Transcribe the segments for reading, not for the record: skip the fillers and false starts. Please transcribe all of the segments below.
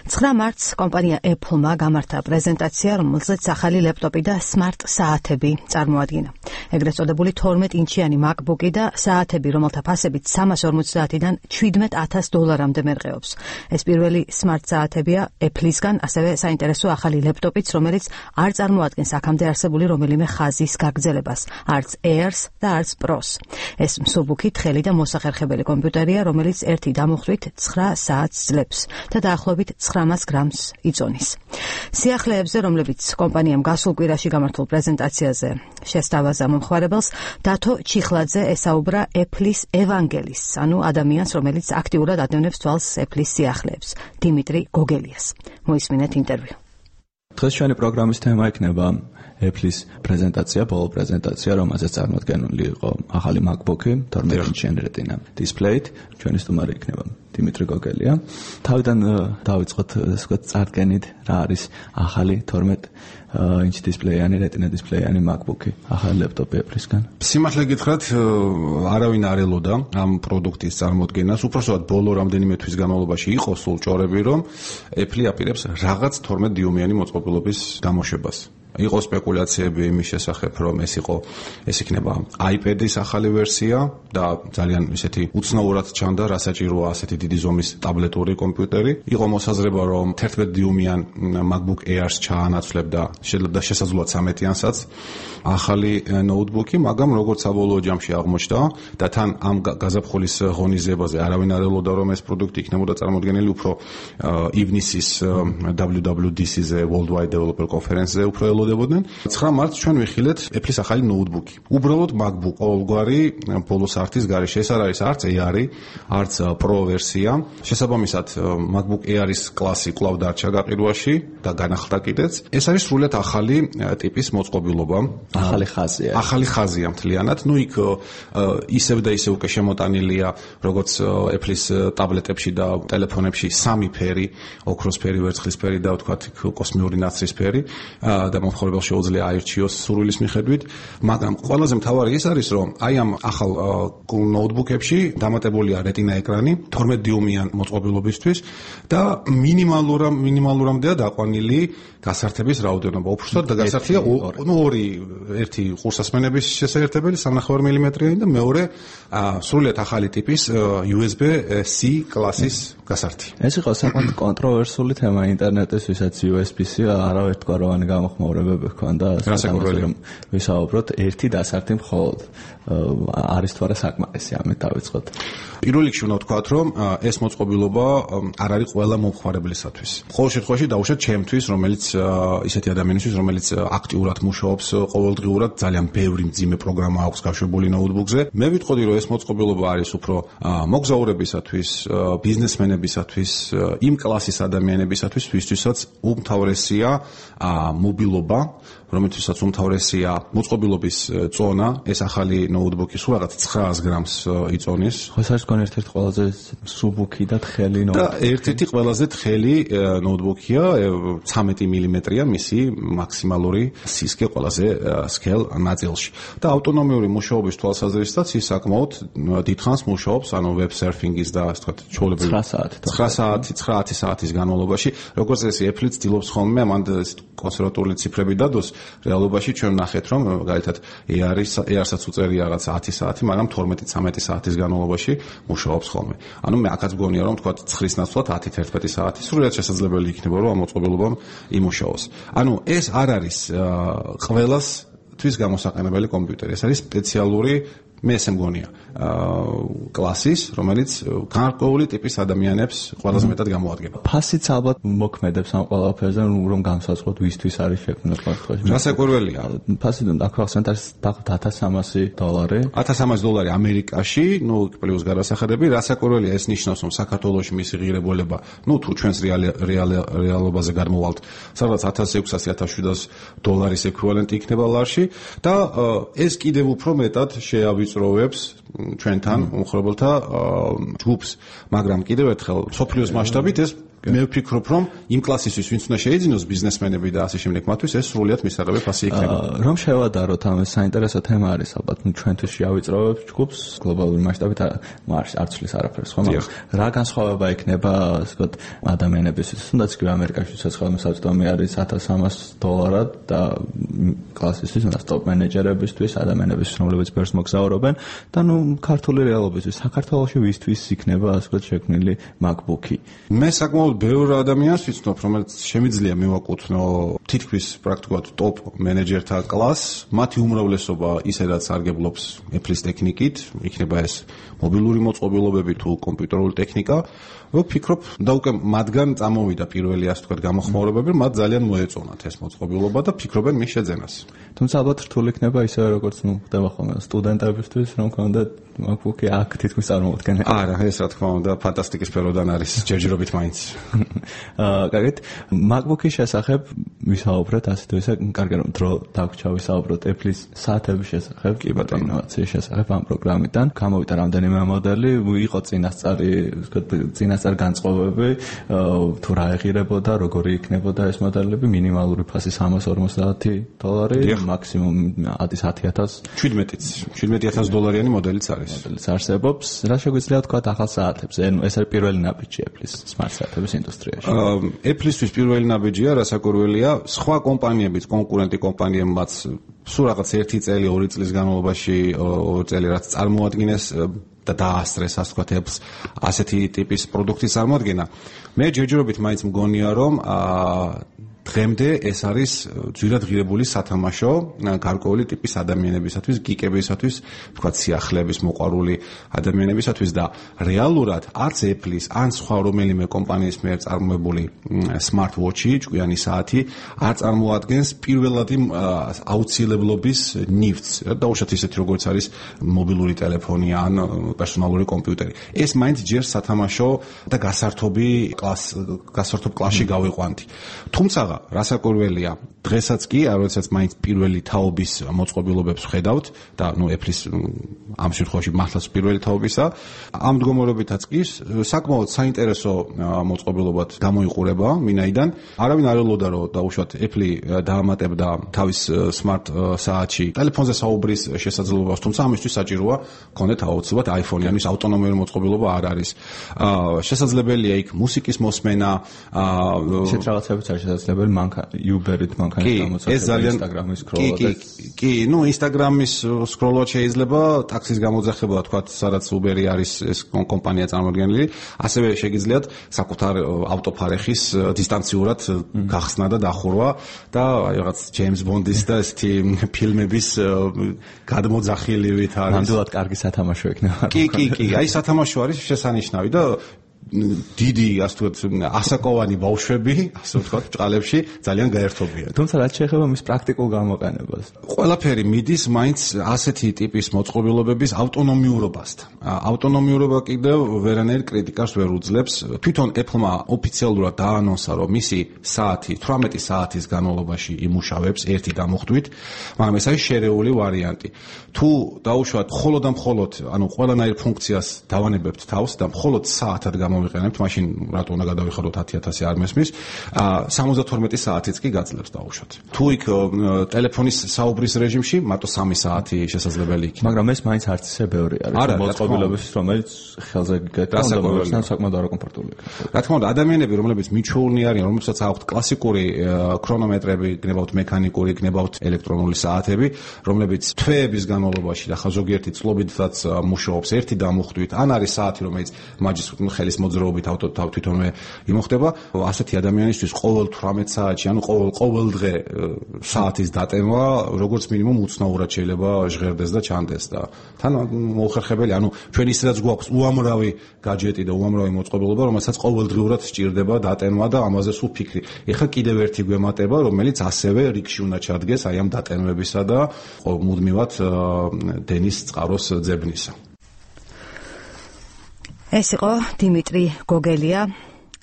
9 მარტს კომპანია Apple-მა გამართა პრეზენტაცია, რომელზეც ახალი ლეპტოპი და smart საათები წარმოადგინა. ეგრეთ წოდებული 12 ინჩიანი MacBook-ი და საათები, რომელთა ფასებით 350-დან $17,000-მდე მერყეობს. ეს პირველი smart საათებია Apple-ისგან, ასევე საინტერესო ახალი ლეპტოპიც, რომელიც არ წარმოადგენს აქამდე არსებული რომელიმე ხაზის გაგრძელებას, არც Airs და არც Pros. ეს მსუბუქი, თხელი და მოსახერხებელი კომპიუტერია, რომელიც ერთი დამუხტვით 9 საათს ძლებს და დაახლოებით 900 გრამს იწონის. სიახლეებზე, რომლებიც კომპანიამ გასულ კვირაში გამართულ პრეზენტაციაზე შესთავაზა მომხმარებელს, დათო ჩიხლაძე ესაუბრა Apple-ის ევანგელისტს, ანუ ადამიანს, რომელიც აქტიურად ადევნებს თვალს Apple-ის სიახლეებს, დიმიტრი გოგელიას. მოისმინეთ ინტერვიუ. დღეს ჩვენი პროგრამის თემა იქნება Apple-ის პრეზენტაცია, ბოლო პრეზენტაცია, რომელზეც წარმოდგენილი იყო ახალი MacBook-ი, 12 ინჩიანი Retina დისპლეით. ჩვენი სტუმარი იქნება დიმიტრი გოგელია. თავიდან დავიწყოთ, ასე ვთქვათ, წარდგენით, რა არის ახალი 12 ინჩ დისპლეიანი Retina დისპლეიანი MacBook-ი, ახალი ლეპტოპი Apple-ისგან. სიმართლე გითხრათ, არავინ არ ელოდა ამ პროდუქტის წარმოდგენას. უпроსოდ ბოლო რამდენიმე თვის განმავლობაში იყო სულ ჭორები, რომ Apple აპირებს რაღაც 12 დიუმიანი მოწყობილობის გამოშვებას. იყო სპეკულაციები იმის შესახებ, რომ ეს იქნება iPad-ის ახალი ვერსია და ძალიან ისეთი უცნაურად ჩანდა, რა საჭიროა ასეთი დიდი ზომის ტაბლეტური კომპიუტერი. იყო მოსაზრება, რომ 11 დიუმიან MacBook Air-ს ჩაანაცვლებ და შეიძლება შესაძლოა 13-იანსაც ახალი ნოუთბუქი, მაგრამ როგორც საბოლოო ჯამში აღმოჩნდა და თან ამ გაზაფხულის ღონისძიებაზე არავინ არ ელოდა, რომ ეს პროდუქტი იქნებოდა წარმოდგენილი უფრო ივნისის WWDC-ზე, Worldwide Developer Conference-ზე უფრო ელოდებოდნენ. 9 მარტს ჩვენ ვიხილეთ Apple-ის ახალი ნოუთბუქი. უბრალოდ MacBook, ყოველგვარი ბოლოს არტის გარეშე. ეს არ არის არც Air-ი, არც Pro ვერსია. შესაბამისად, MacBook Air-ის კლასი კვლავ დარჩა გაყიდვაში და განახლდა კიდეც. ეს არის სრულიად ახალი ტიპის მოწყობილობა. ახალი ხაზია. ახალი ხაზია მთლიანად. იქ ისევ და ისევ უკვე შემოტანილია, როგორც Apple-ის ტაბლეტებში და ტელეფონებში 3 ფერი, ოქროს ფერი, ვერცხლის ფერი და ვთქვათ, კოსმიური ნაცრის ფერი და მომხმარებელს შეუძლია აირჩიოს სურვილის მიხედვით, მაგრამ ყველაზე მთავარი ის არის, რომ აი ამ ახალ ნოუთბუქებში დამატებულია Retina ეკრანი 12 დიუმიან მოწყობილობისთვის და მინიმალურამდეა დაყვანილი გასართების რაოდენობა. უბრალოდ და გასართია ორი, ერთი ყურსასმენების შესაერთებელი 3.5 მმ-იანი და მეორე სრულიად ახალი ტიპის USB-C კლასის გასართი. ეს იყო საკმაოდ კონტროვერსული თემა ინტერნეტის, ვისაც USB-C არავერთგვაროვანი გამოხმაურებები ჰქონდა, რომ ვისაუბროთ ერთი დასართი მხოლოდ არის თუ არა საკმარისი, ამით დავიწყოთ. პირველ რიგში უნდა ვთქვათ, რომ ეს მოწყობილობა არ არის ყველა მომხმარებლისათვის. ყოველ შემთხვევაში დაუშვათ ჩემთვის, რომელიც ისეთი ადამიანისთვის, რომელიც აქტიურად მუშაობს ყოველდღიურად, ძალიან ბევრი მძიმე პროგრამა აქვს გაშვებული ნოუთბუქზე. მე ვიტყოდი, რომ ეს მოწყობილობა არის უფრო მოგზაურებისათვის, ბიზნესმენებისათვის, იმ კლასის ადამიანებისათვის, ვისთვისაც უმთავრესია მობილობა, რომელთვისაც უმთავრესია მოწყობილობის წონა, ეს ახალი ნოუთბუქი სულ რაღაც 900 გრამს იწონის. ხო, ეს არის ერთ-ერთი ყველაზე მსუბუქი და თხელი ნოუთბუქი. და ერთ-ერთი ყველაზე თხელი ნოუთბუქია, 13 მმ-ია მისი მაქსიმალური სისქე ყველაზე სკელ ნაწილში. და ავტონომიური მუშაობის თვალსაზრისითაც ის საკმაოდ დიდხანს მუშაობს, ანუ web surfing-ის და ასე ვთქვათ, ჩვეულებრივ 9 საათის განმავლობაში. როგორც ეს Apple ცდილობს ხოლმე ამან კონსერვატული ციფრები დადოს, რეალობაში ჩვენ ნახეთ, რომ მაგალითად Air-საც უწერია რაღაც 10 საათი, მაგრამ 12-13 საათის განმავლობაში მუშაობს ხოლმე. ანუ მე აქაც მგონია, რომ თქვა 9-ის ნაცვლად 10-11 საათი სრულიად შესაძლებელი იქნება, რომ ამ მოწყობილობამ იმუშაოს. ანუ ეს არ არის ყველასთვის გამოსაყენებელი კომპიუტერი. ეს არის სპეციალური მე ესე მგონია კლასის, რომელიც გარკვეული ტიპის ადამიანებს ყველაზე მეტად გამოადგება. ფასიც ალბათ მოქმედებს ამ ყველაფერზე, რომ განსაზღვროთ ვისთვის არის შექმნილი ფაქტია. რასაკვირველია. ფასი აქ არის $1,300. $1,300 ამერიკაში, პლუს გადასახადები. რასაკვირველია, ეს ნიშნავს, რომ საქართველოში მისი ღირებულება, თუ ჩვენს რეალობაზე გადმოვალთ, სადღაც $1,600-1700 ექვივალენტი იქნება ლარში და ეს კიდევ უფრო მეტად შეავიწროვებს ჩვენთან მომხმარებელთა ჯგუფს, მაგრამ კიდევ ერთხელ მსოფლიოს მასშტაბით ეს მე ვფიქრობ, რომ იმ კლასისთვის, ვინც უნდა შეიძინოს ბიზნესმენები და ასე შემდეგ, მათთვის ეს სრულიად მისაღები ფასი იქნება. რომ შევადაროთ ამ საინტერესო თემა არის, ალბათ ჩვენთვის შევიწროვებთ ჯგუფს გლობალური მასშტაბით არც ცვლის არაფერს, ხო? რა განსხვავება იქნება, ასე ვთქვათ, ადამიანებისთვის, თუნდაც კი ამერიკაში ხელმისაწვდომი არის $1,300 და კლასისთვის, უნდა ტოპ მენეჯერებისთვის, ადამიანებისთვის, რომლებიც ბერს მოგზაურობენ და ქართული რეალობისთვის, საქართველოში ვისთვის იქნება, ასე ვთქვათ, შექმნილი MacBook-ი. მე საკმაოდ ბევრ ადამიანს ვიცნობ, რომელიც შემიძლია მივაკუთვნო თითქმის პრაქტიკულად ტოპ მენეჯერთა კლასს, მათი უმრავლესობა ისედაც სარგებლობს Apple-ის ტექნიკით, იქნება ეს მობილური მოწყობილობები თუ კომპიუტერული ტექნიკა. ვფიქრობ, და უკვე მათგან წამოვიდა პირველი ასე ვთქვათ გამოხმაურებები, მათ ძალიან მოეწონათ ეს მოწყობილობა და ფიქრობენ მის შეძენას. თუმცა ალბათ რთული იქნება ისე როგორც ხდება ხოლმე სტუდენტებისთვის, რომ კონდეთ MacBook-ი აქ თითქმის წარმოუდგენელი. არა, ეს რა თქმა უნდა ფანტასტიკის სფეროდან არის, ჯერჯერობით მაინც. კარგით, MacBook-ის შესახებ ვისაუბრეთ, ასე თუ ისე, კარგი რომ დრო დაგვრჩა ვისაუბროთ Apple-ის საათების შესახებ, კი ბატონო, ინოვაციის შესახებ ამ პროგრამიდან. გამოვიდა რამდენიმე მოდელი, იყო წინასწარი, ვთქვათ, წინასწარ განწყობები, თუ რა ეღირებოდა, როგორი იქნებოდა ეს მოდელები, მინიმალური ფასი $350, მაქსიმუმ $10,000. 17,000 მოდელიც არის. მოდელიც არსებობს. რა შეგვიძლია თქვა ახალ საათებზე? ეს არის პირველი ნაბიჯი Apple-ის smart საათების ინდუსტრიაში. Apple-ისთვის პირველი ნაბიჯია, რასაკვირველია, სხვა კომპანიებიც, კონკურენტი კომპანიებმაც სულ რაღაც 1 წელი, 2 წლის განმავლობაში, 2 წელი რაც წარმოადგენს და დაასწრეს, ასე ვთქვათ, Apple-ს ასეთი ტიპის პროდუქტის წარმოადგენა. მე ჯერჯერობით მაინც მგონია, რომ დღემდე ეს არის ძვირად ღირებული სათამაშო გარკვეული ტიპის ადამიანებისათვის, გიკებისათვის, თქვათ სიახლეების მოყვარული ადამიანებისათვის და რეალურად არც Apple-ის, ან სხვა რომელიმე კომპანიის მიერ წარმოებული smart watch-ი, ჭკვიანი საათი არ წარმოადგენს პირველადი აუცილებლობის ნივთს. დაუშვათ ისეთი როგორც არის მობილური ტელეფონი ან პერსონალური კომპიუტერი. ეს მაინც ჯერ სათამაშო და გასართობ კლასში გავიყვანთ. თუმცა რასაკვირველია, დღესაც კი, როდესაც მაინც პირველი თაობის მოწყობილობებს ვხედავთ და Apple-ის ამ შემთხვევაში მართლაც პირველი თაობისა, ამ მდგომარეობითაც კი საკმაოდ საინტერესო მოწყობილობად გამოიყურება მინაიდან. არავინ არ ელოდა, რომ დაუშვათ Apple დაამატებდა თავის smart საათში ტელეფონზე საუბრის შესაძლებლობას, თუმცა ამისთვის საჭიროა გქონდეთ აუცილებლად iPhone-იანის ავტონომიური მოწყობილობა არ არის. შესაძლებელია იქ მუსიკის მოსმენა, ისეთ რაღაცებიც არის შესაძლებელი, Uber-ით მანქანის გამოცდილება, Instagram-ის სკროლად. კი, Instagram-ის სკროლად შეიძლება, ტაქსის გამოძახება, თქვათ, სადაც Uber-ი არის ეს კომპანია წარმოადგენელი, ასევე შეგიძლიათ საკუთარ ავტოფარეხის დისტანციურად გახსნა და დახურვა და რაღაც James Bond-ის და ესეთი ფილმების გადმოძახილივით არის. ნამდვილად კარგი სათამაშო იქნება. კი, აი სათამაშო არის შესანიშნავი და დიდი, ასე ვთქვათ, ასაკოვანი ბავშვები, ასე ვთქვათ, ჭყალებში ძალიან გაერთობიან. თუმცა რაც შეეხება მის პრაქტიკულ გამოყენებას, ყველაფერი მიდის მაინც ასეთი ტიპის მოწყობილობების ავტონომიურობასთან. ავტონომიურობა კიდევ ვერანაირ კრიტიკას ვერ უძლებს. თვითონ Apple-მა ოფიციალურად დაანონსა, რომ მისი საათი 18 საათის განმავლობაში იმუშავებს ერთი გამოხდვით, მაგრამ ეს არის შერეული ვარიანტი. თუ დაუშვათ მხოლოდ და მხოლოდ, ყველანაირ ფუნქციას დავანებებთ თავს და მხოლოდ საათად გამოვიყენებთ, მაშინ რატო უნდა გადავიხადოთ 10,000 არ მესმის, 72 საათიც კი გაძლევს დაუშვათ. თუ იქ ტელეფონის საუბრის რეჟიმში მარტო 3 საათი შესაძლებელი იქნება. მაგრამ ეს მაინც არც ისე ბევრი არის. მოწყობილობების, რომელიც ხელზე გეკეთება, საკმაოდ არაკომფორტული იქნება. რა თქმა უნდა, ადამიანები, რომლებიც მიჩვეულნი არიან, რომლებსაც აქვთ კლასიკური ქრონომეტრები, გნებავთ მექანიკური, გნებავთ ელექტრონული საათები, რომლებიც თვეების განმავლობაში და ზოგიერთი წლობითაც მუშაობს ერთი დამუხტვით, ან არის საათი, რომელიც მაჯის ხელის მოძრაობით თვითონვე იმოხდება, ასეთი ადამიანისთვის ყოველ 18 საათში, ყოველ დღე საათის დატევა, როგორც მინიმუმ უცნაურად შეიძლება ჟღერდეს და ჩანდეს და თან მოუხერხებელი, ჩვენ ისედაც გვაქვს უამრავი гаджеტი და უამრავი მოწყობილობა, რომელსაც ყოველდღიურად სჭირდება დატენვა და ამაზე სულ ფიქრი. ეხლა კიდევ ერთი გვემატება, რომელიც ასევე რიგში უნდა ჩადგეს აი ამ დატენვებისა და მუდმივად დენის წყაროს ძებნისა. ეს იყო დიმიტრი გოგელია,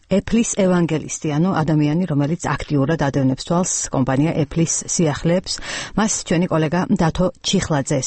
Apple-ის ევანგელისტი, ადამიანი, რომელიც აქტიურად ადევნებს თვალს კომპანია Apple-ის სიახლეებს. მას ჩვენი კოლეგა დათო ჩიხლაძე